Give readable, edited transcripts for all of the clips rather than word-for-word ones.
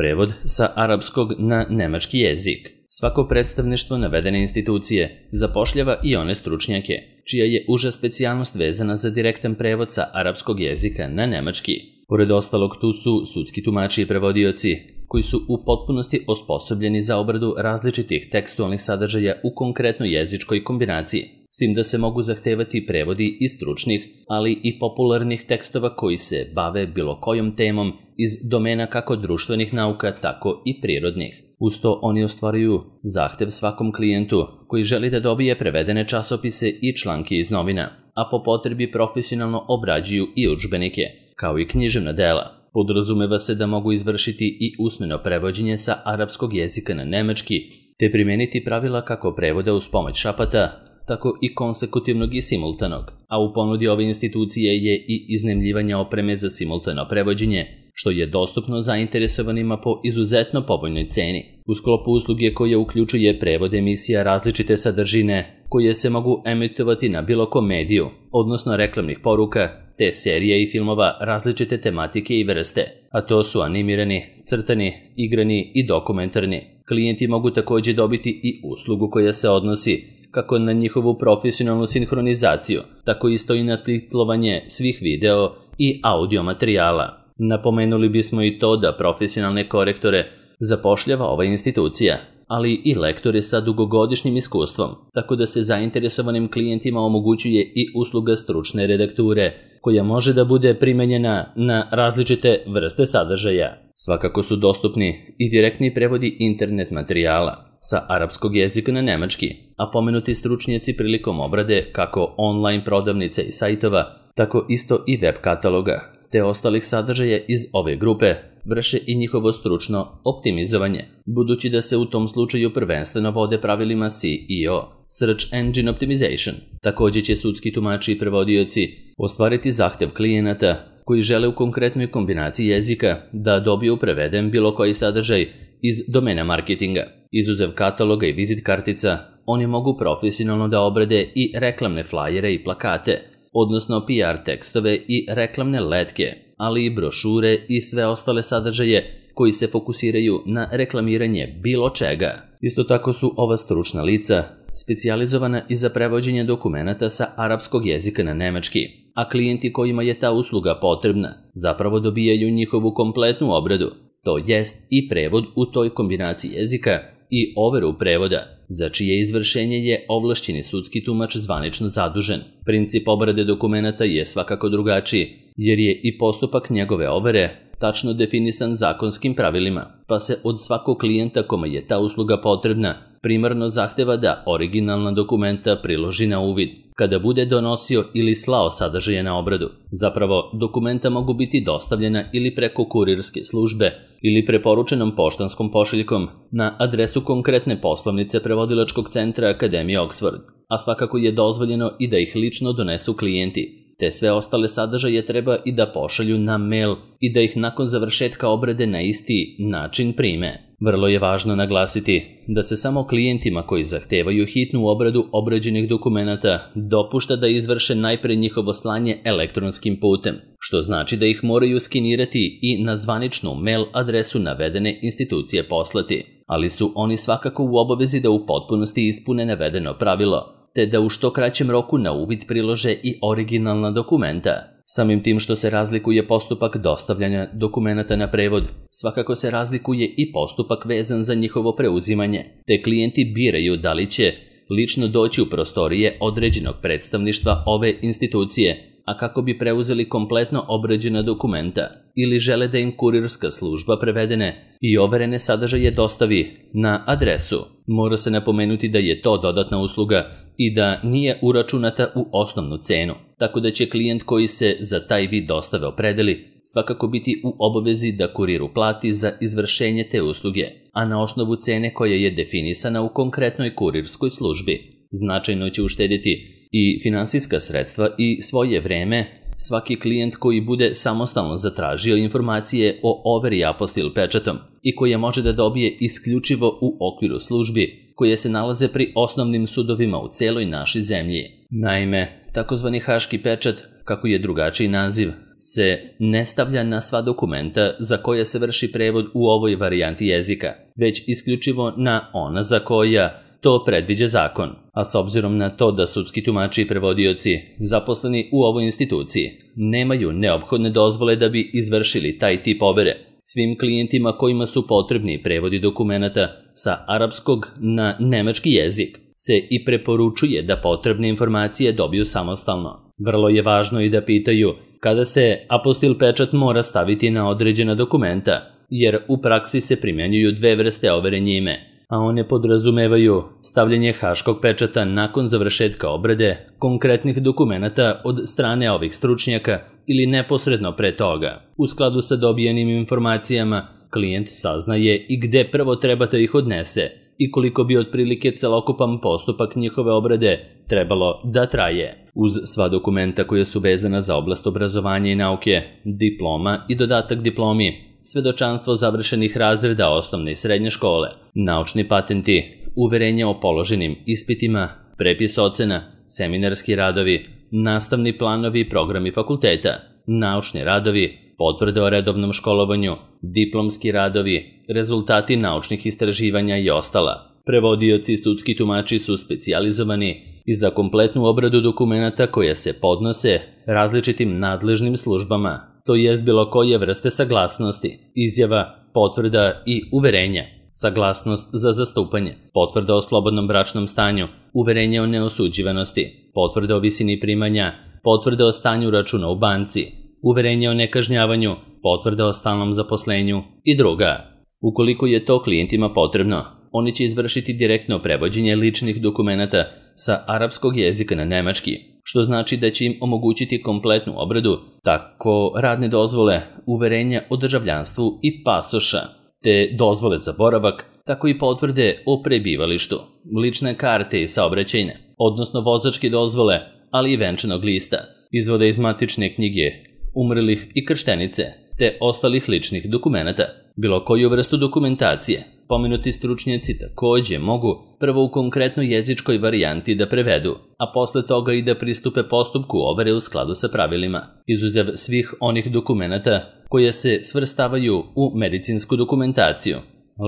Prevod sa arapskog na nemački jezik. Svako predstavništvo navedene institucije zapošljava i one stručnjake, čija je uža specijalnost vezana za direktan prevod sa arapskog jezika na nemački. Pored ostalog, tu su sudski tumači i prevodioci, koji su u potpunosti osposobljeni za obradu različitih tekstualnih sadržaja u konkretnoj jezičkoj kombinaciji, s tim da se mogu zahtevati prevodi iz stručnih, ali i popularnih tekstova koji se bave bilo kojom temom iz domena kako društvenih nauka, tako i prirodnih. Uz to oni ostvaruju zahtev svakom klijentu koji želi da dobije prevedene časopise i članke iz novina, a po potrebi profesionalno obrađuju i udžbenike, kao i književna dela. Podrazumeva se da mogu izvršiti i usmeno prevođenje sa arapskog jezika na nemački, te primeniti pravila kako prevoda uz pomoć šapata, tako i konsekutivnog i simultanog, a u ponudi ove institucije je i iznajmljivanje opreme za simultano prevođenje, što je dostupno zainteresovanima po izuzetno povoljnoj ceni. U sklopu usluge koja uključuje prevod emisija različite sadržine koje se mogu emitovati na bilo kom mediju, odnosno reklamnih poruka, te serija i filmova različite tematike i vrste, a to su animirani, crtani, igrani i dokumentarni. Klijenti mogu također dobiti i uslugu koja se odnosi kako na njihovu profesionalnu sinhronizaciju, tako isto i na titlovanje svih video i audio materijala. Napomenuli bismo i to da profesionalne korektore zapošljava ova institucija, ali i lektore sa dugogodišnjim iskustvom, tako da se zainteresovanim klijentima omogućuje i usluga stručne redakture, koja može da bude primenjena na različite vrste sadržaja. Svakako su dostupni i direktni prevodi internet materijala sa arapskog jezika na nemački, a pomenuti stručnjaci prilikom obrade kako online prodavnice i sajtova, tako isto i web kataloga, te ostalih sadržaja iz ove grupe, vrše i njihovo stručno optimizovanje, budući da se u tom slučaju prvenstveno vode pravilima SEO, Search Engine Optimization. Također će sudski tumači i prevodioci ostvariti zahtev klijenata koji žele u konkretnoj kombinaciji jezika da dobiju preveden bilo koji sadržaj iz domena marketinga. Izuzev kataloga i vizit kartica, oni mogu profesionalno da obrade i reklamne flajere i plakate, odnosno PR tekstove i reklamne letke, ali i brošure i sve ostale sadržaje koji se fokusiraju na reklamiranje bilo čega. Isto tako su ova stručna lica specijalizovana i za prevođenje dokumenata sa arapskog jezika na nemački, a klijenti kojima je ta usluga potrebna zapravo dobijaju njihovu kompletnu obradu, to jest i prevod u toj kombinaciji jezika i overu prevoda, za čije izvršenje je ovlašćeni sudski tumač zvanično zadužen. Princip obrade dokumenata je svakako drugačiji, jer je i postupak njegove overe tačno definisan zakonskim pravilima, pa se od svakog klijenta kome je ta usluga potrebna primarno zahteva da originalna dokumenta priloži na uvid kada bude donosio ili slao sadržaje na obradu. Zapravo, dokumenta mogu biti dostavljena ili preko kurirske službe ili preporučenom poštanskom pošiljkom na adresu konkretne poslovnice prevodilačkog centra Akademije Oxford, a svakako je dozvoljeno i da ih lično donesu klijenti, te sve ostale sadržaje treba i da pošalju na mail i da ih nakon završetka obrade na isti način prime. Vrlo je važno naglasiti da se samo klijentima koji zahtevaju hitnu obradu obrađenih dokumenata dopušta da izvrše najpre njihovo slanje elektronskim putem, što znači da ih moraju skenirati i na zvaničnu mail adresu navedene institucije poslati, ali su oni svakako u obavezi da u potpunosti ispune navedeno pravilo, te da u što kraćem roku na uvid prilože i originalna dokumenta. Samim tim što se razlikuje postupak dostavljanja dokumenata na prevod, svakako se razlikuje i postupak vezan za njihovo preuzimanje, te klijenti biraju da li će lično doći u prostorije određenog predstavništva ove institucije, a kako bi preuzeli kompletno obrađena dokumenta, ili žele da im kurirska služba prevedene i overene sadržaje dostavi na adresu. Mora se napomenuti da je to dodatna usluga i da nije uračunata u osnovnu cenu, tako da će klijent koji se za taj vid dostave opredeli svakako biti u obavezi da kuriru plati za izvršenje te usluge, a na osnovu cene koja je definisana u konkretnoj kurirskoj službi. Značajno će uštedjeti i finansijska sredstva i svoje vreme svaki klijent koji bude samostalno zatražio informacije o overi apostil pečatom i koje može da dobije isključivo u okviru službi koje se nalaze pri osnovnim sudovima u celoj našoj zemlji. Naime, takozvani haški pečat, kako je drugačiji naziv, se ne stavlja na sva dokumenta za koje se vrši prevod u ovoj varijanti jezika, već isključivo na ona za koja to predviđa zakon, a s obzirom na to da sudski tumači i prevodioci zaposleni u ovoj instituciji nemaju neophodne dozvole da bi izvršili taj tip overe, svim klijentima kojima su potrebni prevodi dokumenata sa arapskog na nemački jezik se i preporučuje da potrebne informacije dobiju samostalno. Vrlo je važno i da pitaju kada se apostil pečat mora staviti na određena dokumenta, jer u praksi se primjenjuju dve vrste overe njime, a one podrazumevaju stavljanje haškog pečata nakon završetka obrade konkretnih dokumenata od strane ovih stručnjaka ili neposredno pre toga. U skladu sa dobijenim informacijama, klijent saznaje i gde prvo treba da ih odnese i koliko bi otprilike celokupan postupak njihove obrade trebalo da traje. Uz sva dokumenta koja su vezana za oblast obrazovanja i nauke, diploma i dodatak diplomi, svedočanstvo završenih razreda osnovne i srednje škole, naučni patenti, uverenja o položenim ispitima, prepis ocena, seminarski radovi, nastavni planovi i programi fakulteta, naučni radovi, potvrde o redovnom školovanju, diplomski radovi, rezultati naučnih istraživanja i ostala. Prevodioci i sudski tumači su specijalizovani i za kompletnu obradu dokumenata koje se podnose različitim nadležnim službama, to jest bilo koje vrste saglasnosti, izjava, potvrda i uverenja, saglasnost za zastupanje, potvrda o slobodnom bračnom stanju, uverenje o neosuđivanosti, potvrda o visini primanja, potvrda o stanju računa u banci, uverenje o nekažnjavanju, potvrda o stalnom zaposlenju i druga. Ukoliko je to klijentima potrebno, oni će izvršiti direktno prevođenje ličnih dokumenata sa arapskog jezika na nemački, što znači da će im omogućiti kompletnu obradu, tako radne dozvole, uverenja o državljanstvu i pasoša, te dozvole za boravak, tako i potvrde o prebivalištu, lične karte i saobraćajne, odnosno vozačke dozvole, ali i venčanog lista, izvode iz matične knjige, umrlih i krštenice, te ostalih ličnih dokumenata, bilo koju vrstu dokumentacije. Pomenuti stručnjaci takođe mogu prvo u konkretnoj jezičkoj varijanti da prevedu, a posle toga i da pristupe postupku overe u skladu sa pravilima, izuzev svih onih dokumenata koje se svrstavaju u medicinsku dokumentaciju,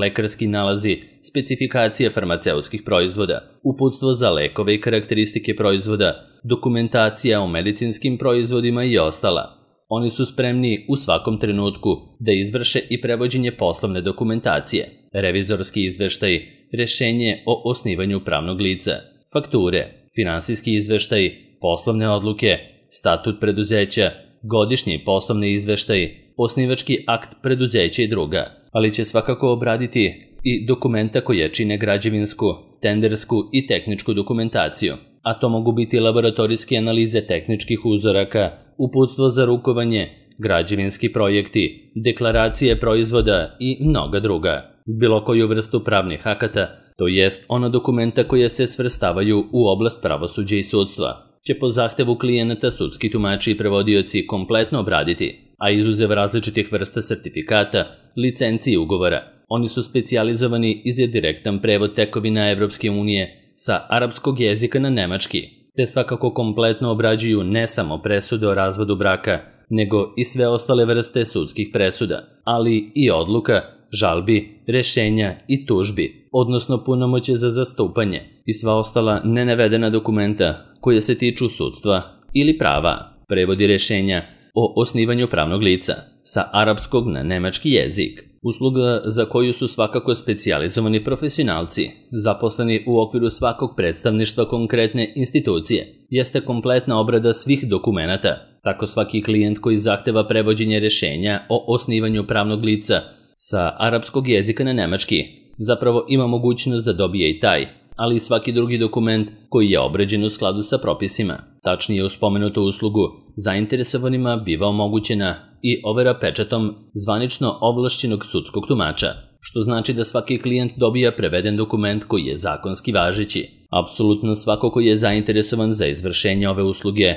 lekarski nalazi, specifikacije farmaceutskih proizvoda, uputstvo za lekove i karakteristike proizvoda, dokumentacija o medicinskim proizvodima i ostala. Oni su spremni u svakom trenutku da izvrše i prevođenje poslovne dokumentacije, revizorski izveštaj, rešenje o osnivanju pravnog lica, fakture, finansijski izveštaj, poslovne odluke, statut preduzeća, godišnji poslovni izveštaj, osnivački akt preduzeća i druga, ali će svakako obraditi i dokumenta koje čine građevinsku, tendersku i tehničku dokumentaciju, a to mogu biti laboratorijske analize tehničkih uzoraka, uputstvo za rukovanje, građevinski projekti, deklaracije proizvoda i mnoga druga. Bilo koju vrstu pravnih akata, to jest ona dokumenta koja se svrstavaju u oblast pravosuđa i sudstva, će po zahtevu klijenata sudski tumači i prevodioci kompletno obraditi, a izuzev različitih vrsta sertifikata, licenci i ugovora. Oni su specijalizovani i za direktan prevod tekovina Evropske unije sa arapskog jezika na nemački, te svakako kompletno obrađuju ne samo presude o razvodu braka, nego i sve ostale vrste sudskih presuda, ali i odluka, žalbi, rešenja i tužbi, odnosno punomoće za zastupanje i sva ostala nenavedena dokumenta koje se tiču sudstva ili prava, prevodi rešenja o osnivanju pravnog lica sa arapskog na nemački jezik. Usluga za koju su svakako specijalizovani profesionalci, zaposleni u okviru svakog predstavništva konkretne institucije, jeste kompletna obrada svih dokumenata. Tako svaki klijent koji zahteva prevođenje rešenja o osnivanju pravnog lica sa arapskog jezika na nemački zapravo ima mogućnost da dobije i taj, ali i svaki drugi dokument koji je obrađen u skladu sa propisima. Tačnije, u spomenutu uslugu zainteresovanima biva omogućena i overa pečatom zvanično ovlašćenog sudskog tumača, što znači da svaki klijent dobija preveden dokument koji je zakonski važeći. Apsolutno svako koji je zainteresovan za izvršenje ove usluge,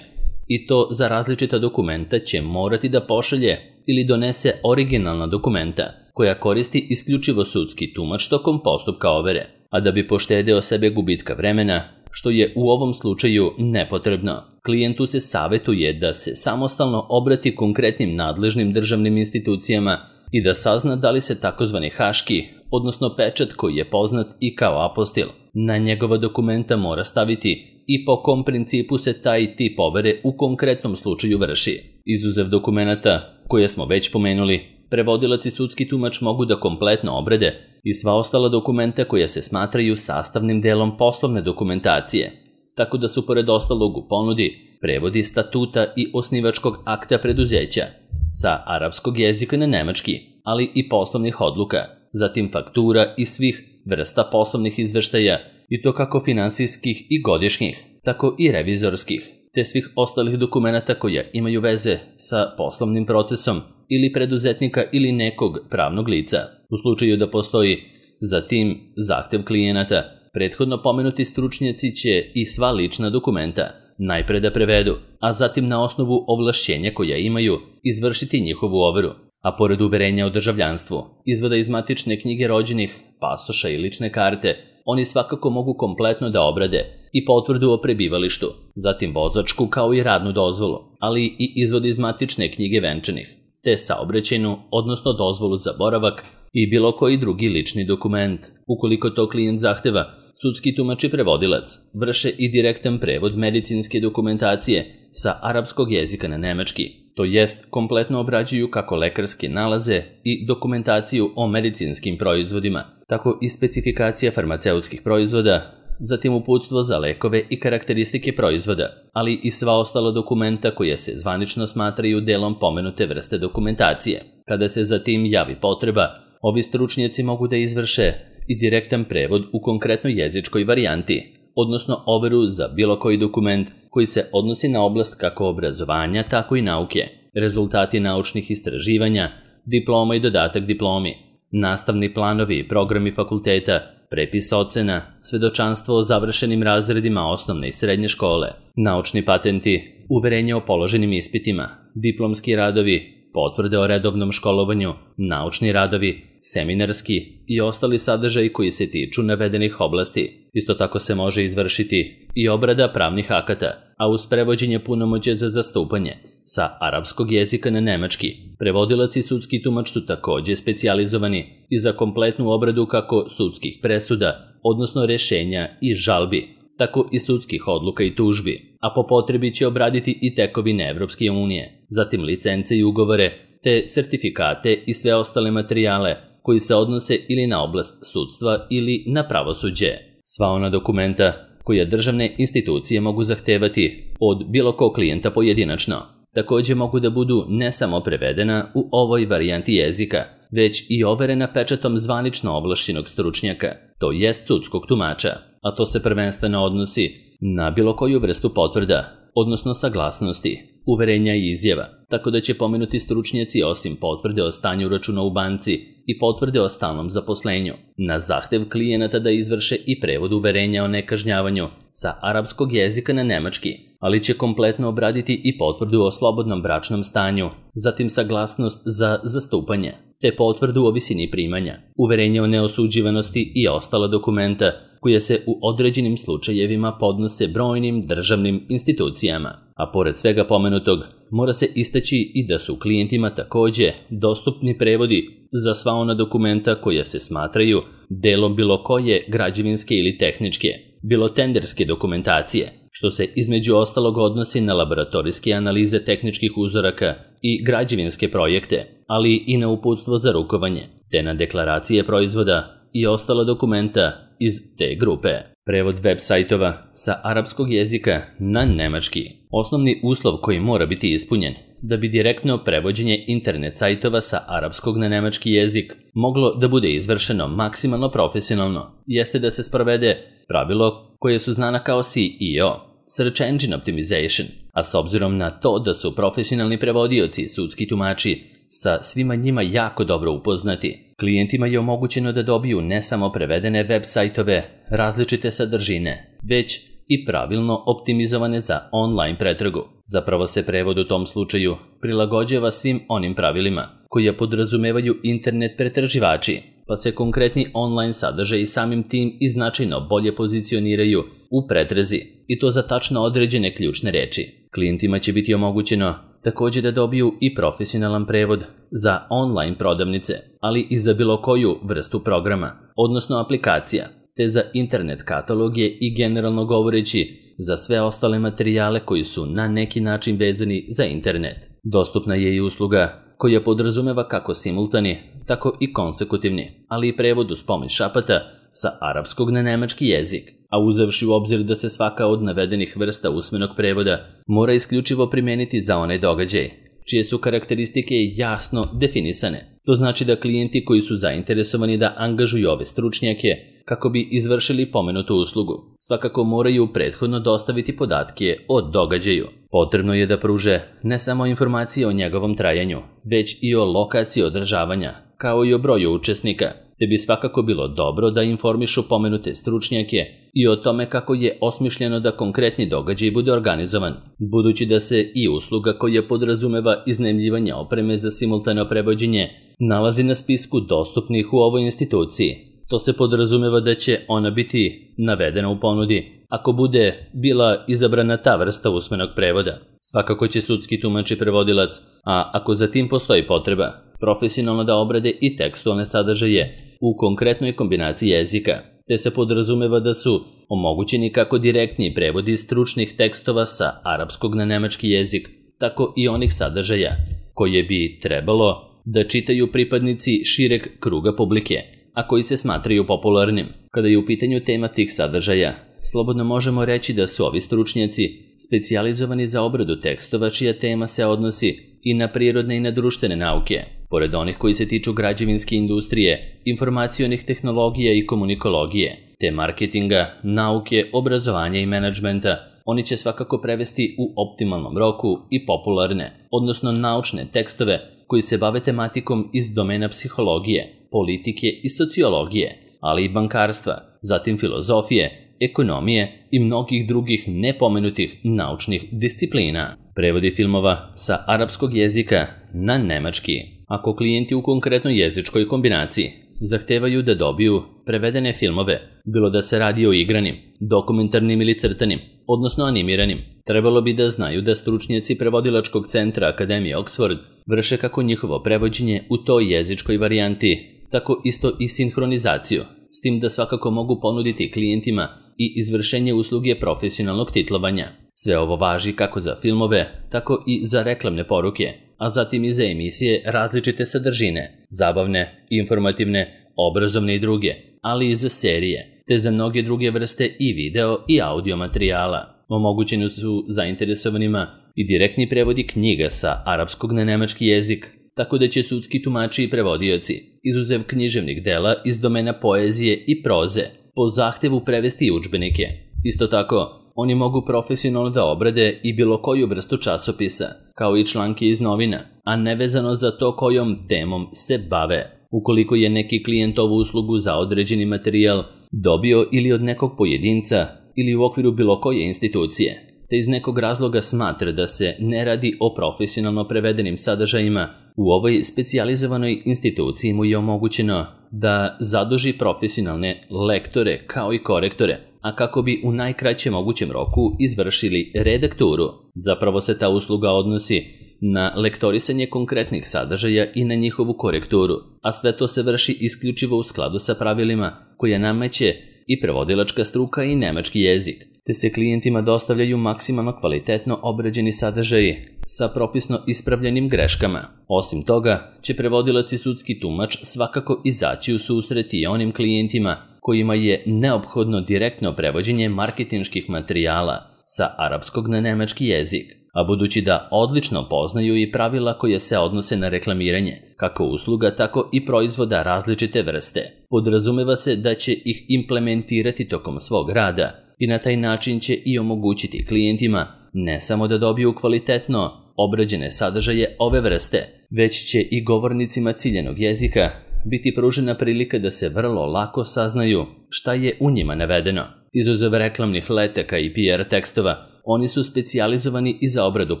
i to za različita dokumenta, će morati da pošalje ili donese originalna dokumenta koja koristi isključivo sudski tumač tokom postupka overe. A da bi poštedeo sebe gubitka vremena, što je u ovom slučaju nepotrebno. Klijentu se savjetuje da se samostalno obrati konkretnim nadležnim državnim institucijama i da sazna da li se takozvani haški, odnosno pečat koji je poznat i kao apostil, na njegova dokumenta mora staviti i po kom principu se taj tip overe u konkretnom slučaju vrši. Izuzev dokumenata koje smo već pomenuli, prevodilac i sudski tumač mogu da kompletno obrade i sva ostala dokumenta koja se smatraju sastavnim delom poslovne dokumentacije, tako da su pored ostalog u ponudi prevodi statuta i osnivačkog akta preduzeća sa arapskog jezika na nemački, ali i poslovnih odluka, zatim faktura i svih vrsta poslovnih izveštaja, i to kako finansijskih i godišnjih, tako i revizorskih, te svih ostalih dokumenata koja imaju veze sa poslovnim procesom ili preduzetnika ili nekog pravnog lica. U slučaju da postoji zatim zahtev klijenata, prethodno pomenuti stručnjaci će i sva lična dokumenta najpre da prevedu, a zatim na osnovu ovlašćenja koja imaju izvršiti njihovu overu. A pored uverenja o državljanstvu, izvoda iz matične knjige rođenih, pasoša i lične karte, oni svakako mogu kompletno da obrade i potvrdu o prebivalištu, zatim vozačku kao i radnu dozvolu, ali i izvod iz matične knjige venčanih, te saobraćajnu, odnosno dozvolu za boravak i bilo koji drugi lični dokument. Ukoliko to klijent zahteva, sudski tumač i prevodilac vrše i direktan prevod medicinske dokumentacije sa arapskog jezika na nemački, to jest kompletno obrađuju kako lekarske nalaze i dokumentaciju o medicinskim proizvodima, tako i specifikacija farmaceutskih proizvoda, zatim uputstvo za lekove i karakteristike proizvoda, ali i sva ostala dokumenta koja se zvanično smatraju delom pomenute vrste dokumentacije. Kada se zatim javi potreba, ovi stručnjaci mogu da izvrše i direktan prevod u konkretnoj jezičkoj varijanti, odnosno overu za bilo koji dokument koji se odnosi na oblast kako obrazovanja, tako i nauke, rezultati naučnih istraživanja, diploma i dodatak diplomi, nastavni planovi i programi fakulteta, prepis ocena, svedočanstvo o završenim razredima osnovne i srednje škole, naučni patenti, uverenje o položenim ispitima, diplomski radovi, potvrde o redovnom školovanju, naučni radovi, seminarski i ostali sadržaji koji se tiču navedenih oblasti. Isto tako se može izvršiti i obrada pravnih akata, a uz prevođenje punomoćja za zastupanje sa arapskog jezika na nemački. Prevodilac i sudski tumač su takođe specijalizovani i za kompletnu obradu kako sudskih presuda, odnosno rešenja i žalbi, tako i sudskih odluka i tužbi, a po potrebi će obraditi i tekovine Evropske unije, zatim licence i ugovore, te sertifikate i sve ostale materijale koji se odnose ili na oblast sudstva ili na pravosuđe. Sva ona dokumenta koja državne institucije mogu zahtevati od bilo kog klijenta pojedinačno, takođe mogu da budu ne samo prevedena u ovoj varijanti jezika, već i overena pečatom zvanično ovlašćenog stručnjaka, to jest sudskog tumača, a to se prvenstveno odnosi na bilo koju vrstu potvrda, odnosno saglasnosti, uverenja i izjava, tako da će pomenuti stručnjaci osim potvrde o stanju računa u banci i potvrde o stalnom zaposlenju, na zahtev klijenata da izvrše i prevod uverenja o nekažnjavanju sa arapskog jezika na nemački, ali će kompletno obraditi i potvrdu o slobodnom bračnom stanju, zatim saglasnost za zastupanje, te potvrdu o visini primanja, uverenje o neosuđivanosti i ostala dokumenta koje se u određenim slučajevima podnose brojnim državnim institucijama. A pored svega pomenutog, mora se istaći i da su klijentima takođe dostupni prevodi za sva ona dokumenta koja se smatraju delom bilo koje građevinske ili tehničke, bilo tenderske dokumentacije, što se između ostalog odnosi na laboratorijske analize tehničkih uzoraka i građevinske projekte, ali i na uputstvo za rukovanje, te na deklaracije proizvoda i ostala dokumenta iz te grupe. Prevod web sajtova sa arapskog jezika na nemački. Osnovni uslov koji mora biti ispunjen da bi direktno prevođenje internet sajtova sa arapskog na nemački jezik moglo da bude izvršeno maksimalno profesionalno, jeste da se sprovede pravilo koje su znana kao SEO, Search Engine Optimization, a s obzirom na to da su profesionalni prevodioci i sudski tumači sa svima njima jako dobro upoznati, klijentima je omogućeno da dobiju ne samo prevedene web sajtove različite sadržine, već i pravilno optimizovane za online pretragu. Zapravo se prevod u tom slučaju prilagođava svim onim pravilima koje podrazumevaju internet pretraživači, pa se konkretni online sadržaji samim tim i značajno bolje pozicioniraju u pretrezi, i to za tačno određene ključne reči. Klijentima će biti omogućeno također da dobiju i profesionalan prevod za online prodavnice, ali i za bilo koju vrstu programa, odnosno aplikacija, te za internet kataloge i generalno govoreći za sve ostale materijale koji su na neki način vezani za internet. Dostupna je i usluga koja podrazumeva kako simultani, tako i konsekutivni, ali i prevod uz pomoć šapata sa arapskog na nemački jezik, a uzevši u obzir da se svaka od navedenih vrsta usmenog prevoda mora isključivo primijeniti za onaj događaj, čije su karakteristike jasno definisane. To znači da klijenti koji su zainteresovani da angažuju ove stručnjake kako bi izvršili pomenutu uslugu, svakako moraju prethodno dostaviti podatke o događaju. Potrebno je da pruže ne samo informacije o njegovom trajanju, već i o lokaciji održavanja, kao i o broju učesnika, te bi svakako bilo dobro da informišu pomenute stručnjake i o tome kako je osmišljeno da konkretni događaj bude organizovan, budući da se i usluga koja podrazumeva iznajmljivanje opreme za simultano prevođenje nalazi na spisku dostupnih u ovoj instituciji. To se podrazumeva da će ona biti navedena u ponudi ako bude bila izabrana ta vrsta usmenog prevoda. Svakako će sudski tumač i prevodilac, a ako za tim postoji potreba, profesionalno da obrade i tekstualne sadržaje u konkretnoj kombinaciji jezika, te se podrazumeva da su omogućeni kako direktni prevodi stručnih tekstova sa arapskog na nemački jezik, tako i onih sadržaja koje bi trebalo da čitaju pripadnici šireg kruga publike, a koji se smatraju popularnim. Kada je u pitanju tema tih sadržaja, slobodno možemo reći da su ovi stručnjaci specijalizovani za obradu tekstova čija tema se odnosi i na prirodne i na društvene nauke. Pored onih koji se tiču građevinske industrije, informacionih tehnologija i komunikologije, te marketinga, nauke, obrazovanja i menadžmenta, oni će svakako prevesti u optimalnom roku i popularne, odnosno naučne tekstove koji se bave tematikom iz domena psihologije, politike i sociologije, ali i bankarstva, zatim filozofije, ekonomije i mnogih drugih nepomenutih naučnih disciplina. Prevodi filmova sa arapskog jezika na nemački. Ako klijenti u konkretnoj jezičkoj kombinaciji zahtevaju da dobiju prevedene filmove, bilo da se radi o igranim, dokumentarnim ili crtanim, odnosno animiranim, trebalo bi da znaju da stručnjaci prevodilačkog centra Akademije Oxford vrše kako njihovo prevođenje u toj jezičkoj varijanti, tako isto i sinhronizaciju, s tim da svakako mogu ponuditi klijentima i izvršenje usluge profesionalnog titlovanja. Sve ovo važi kako za filmove, tako i za reklamne poruke, a zatim i za emisije različite sadržine, zabavne, informativne, obrazovne i druge, ali i za serije, te za mnoge druge vrste i video i audio materijala. Omogućeni su zainteresovanima i direktni prevodi knjiga sa arapskog na nemački jezik, tako da će sudski tumači i prevodioci, izuzev književnih dela iz domena poezije i proze, po zahtevu prevesti i udžbenike. Isto tako, oni mogu profesionalno da obrade i bilo koju vrstu časopisa, kao i članke iz novina, a nevezano za to kojom temom se bave. Ukoliko je neki klijent ovu uslugu za određeni materijal dobio ili od nekog pojedinca ili u okviru bilo koje institucije, te iz nekog razloga smatra da se ne radi o profesionalno prevedenim sadržajima, u ovoj specijalizovanoj instituciji mu je omogućeno da zaduži profesionalne lektore kao i korektore, a kako bi u najkraćem mogućem roku izvršili redakturu. Zapravo se ta usluga odnosi na lektorisanje konkretnih sadržaja i na njihovu korekturu, a sve to se vrši isključivo u skladu sa pravilima koje nameće i prevodilačka struka i nemački jezik, te se klijentima dostavljaju maksimalno kvalitetno obrađeni sadržaji sa propisno ispravljenim greškama. Osim toga, će prevodilac i sudski tumač svakako izaći u susret i onim klijentima kojima je neophodno direktno prevođenje marketinških materijala sa arapskog na nemački jezik, a budući da odlično poznaju i pravila koje se odnose na reklamiranje, kako usluga, tako i proizvoda različite vrste, podrazumeva se da će ih implementirati tokom svog rada i na taj način će i omogućiti klijentima ne samo da dobiju kvalitetno obrađene sadržaje ove vrste, već će i govornicima ciljanog jezika biti pružena prilika da se vrlo lako saznaju šta je u njima navedeno. Izuzev reklamnih letaka i PR tekstova, oni su specijalizovani i za obradu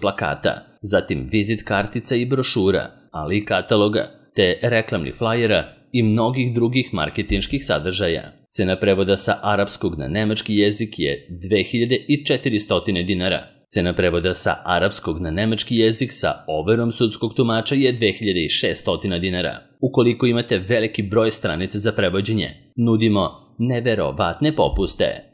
plakata, zatim vizit kartica i brošura, ali i kataloga, te reklamnih flajera i mnogih drugih marketinških sadržaja. Cena prevoda sa arapskog na nemački jezik je 2400 dinara. Cena prevoda sa arapskog na nemački jezik sa overom sudskog tumača je 2600 dinara. Ukoliko imate veliki broj stranica za prevođenje, nudimo neverovatne popuste.